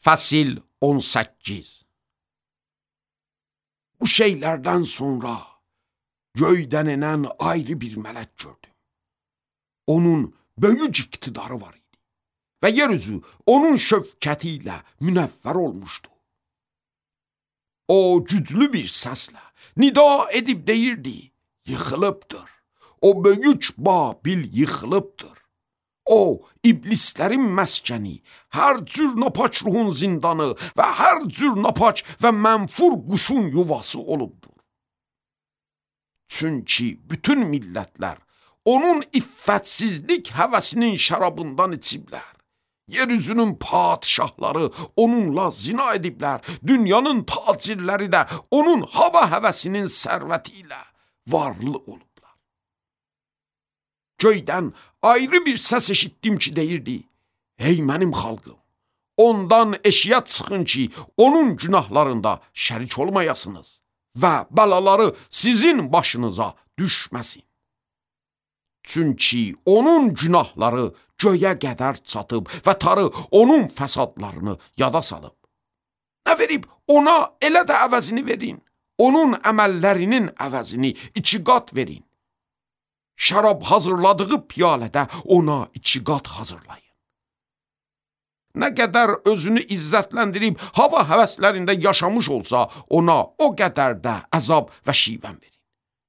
Fəsil 18. Bu şeylərdən sonra göydən enən ayrı bir mələk gördüm. Onun böyük iqtidarı var idi və yeryüzü onun şövkəti ilə münəvvər olmuşdu. O güclü bir səslə nida edib deyirdi, yıxılıbdır. O böyük Babil yıxılıbdır. O, iblislərin məskəni, hər cür napaç ruhun zindanı və hər cür napaç və mənfur quşun yuvası olubdur. Çünki bütün millətlər onun iffətsizlik həvəsinin şərabından içiblər. Yeryüzünün padişahları onunla zina ediblər. Dünyanın tacirləri də onun hava həvəsinin sərvəti ilə varlı olublar. Göydən ayrı bir səs eşitdim ki deyirdi, ey mənim xalqım, ondan eşiyə çıxın ki, onun günahlarında şərik olmayasınız və bəlaları sizin başınıza düşməsin. Çünki onun günahları göyə qədər çatıb və tarı onun fəsadlarını yada salıb. Nə verib ona elə də əvəzini verin, onun əməllərinin əvəzini 2 qat verin. Şərab hazırladığı piyalədə ona 2 qat hazırlayın. Nə qədər özünü izzətləndirib hava həvəslərində yaşamış olsa, ona o qədər də əzab və şivən verin.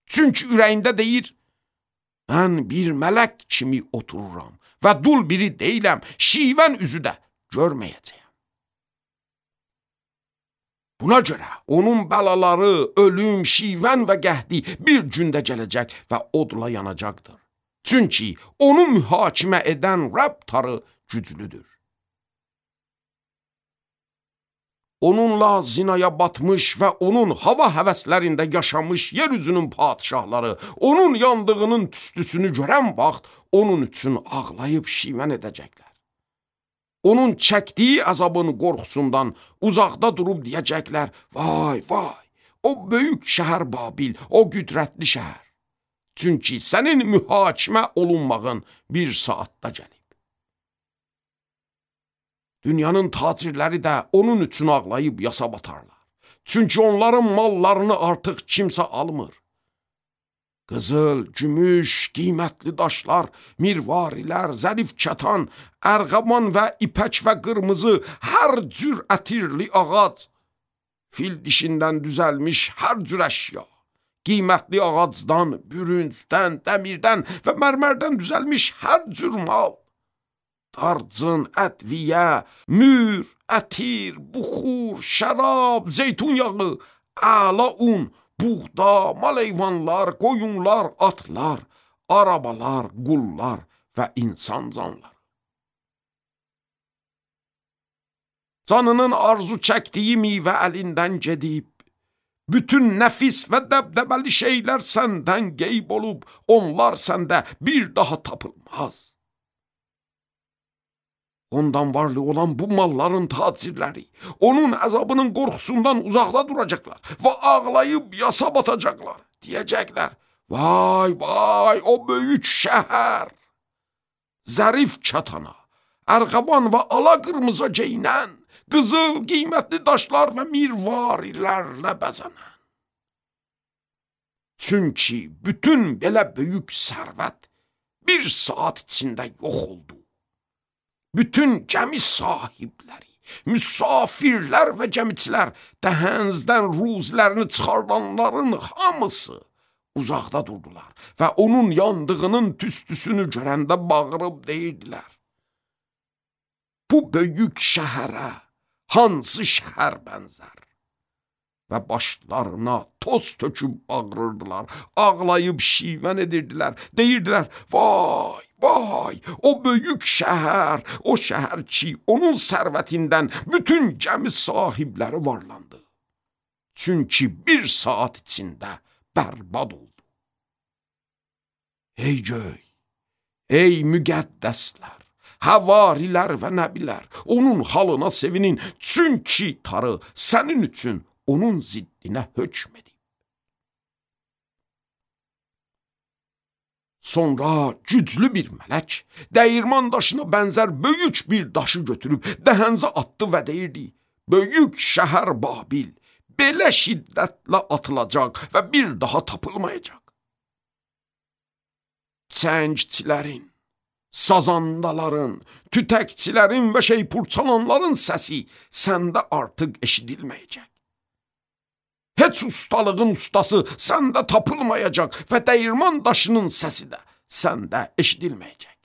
Çünki ürəyində deyir, mən bir mələk kimi otururam və dul biri deyiləm, şivən üzü də görməyəcəyəm. Buna görə onun bəlaları, ölüm, şivən və qəhdi bir gündə gələcək və odla yanacaqdır. Çünki onu mühakimə edən Rəbb tarı güclüdür. Onunla zinaya batmış və onun hava həvəslərində yaşamış yeryüzünün padişahları, onun yandığının tüstüsünü görən vaxt onun üçün ağlayıb şivən edəcəklər. Onun çəkdiyi əzabın qorxusundan uzaqda durub deyəcəklər, vay, vay, o böyük şəhər Babil, o qüdrətli şəhər. Çünki sənin mühakimə olunmağın bir saatda gəlib. Dünyanın tacirləri də onun üçün ağlayıb yasa batarlar. Çünki onların mallarını artıq kimsə almır. Qızıl, gümüş, qiymətli daşlar, mirvarilər, zərif kətan, ərğaman və ipək və qırmızı, hər cür ətirli ağac, fil dişindən düzəlmiş hər cür əşya, qiymətli ağacdan, bürüncdən, dəmirdən və mərmərdən düzəlmiş hər cür mal, darcın, ədviyə, mür, ətir, buxur, şərab, zeytun yağı, əla un, buğda, maleyvanlar, qoyunlar, atlar, arabalar, qullar və insan canları. Canının arzu çəkdiyi meyvə əlindən gedib, bütün nəfis və dəbdəbəli şeylər səndən qeyb olub, onlar səndə bir daha tapılmaz. Ondan varlı olan bu malların tacirləri, onun əzabının qorxusundan uzaqda duracaqlar və ağlayıb yasa batacaqlar. Deyəcəklər, vay, vay, o böyük şəhər, zərif çatana, ərğaban və ala qırmızı geyinən, qızıl, qiymətli daşlar və mirvarilərlə bəzənən. Çünki bütün belə böyük sərvət bir saat içində yox oldu. Bütün gəmi sahibləri, müsafirlər və gəmiçilər, dəhənzdən ruzlərini çıxardanların hamısı uzaqda durdular və onun yandığının tüstüsünü görəndə bağırıb deyirdilər, bu böyük şəhərə hansı şəhər bənzər? Və başlarına toz töküb bağırırdılar, ağlayıb şivən edirdilər, deyirdilər, vay, vay, o böyük şəhər, o şəhər ki, onun sərvətindən bütün gəmi sahibləri varlandı. Çünki bir saat içində bərbad oldu. Ey göy, ey müqəddəslər, həvarilər və nəbilər, onun halına sevinin, çünki tarı sənin üçün onun ziddinə hökm edib. Sonra güclü bir mələk dəyirman daşına bənzər böyük bir daşı götürüb dəhənzə atdı və deyirdi: "Böyük şəhər Babil belə şiddətlə atılacaq və bir daha tapılmayacaq. Çəngçilərin, sazandaların, tütəkçilərin və şeypurçalanların səsi səndə artıq eşidilməyəcək. Heç ustalığın ustası səndə tapılmayacaq və dəyirman daşının səsi də səndə eşidilməyəcək.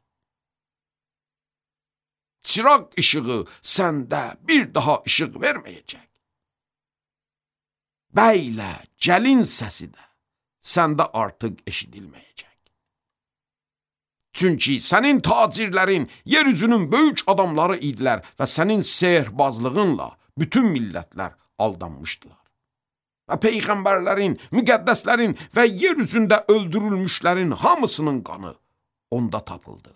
Çıraq işığı səndə bir daha işıq verməyəcək. Bəylə gəlin səsi də səndə artıq eşidilməyəcək. Çünki sənin tacirlərin yeryüzünün böyük adamları idilər və sənin sehrbazlığınla bütün millətlər aldanmışdılar. Və peyğəmbərlərin, müqəddəslərin və yer üzündə öldürülmüşlərin hamısının qanı onda tapıldı.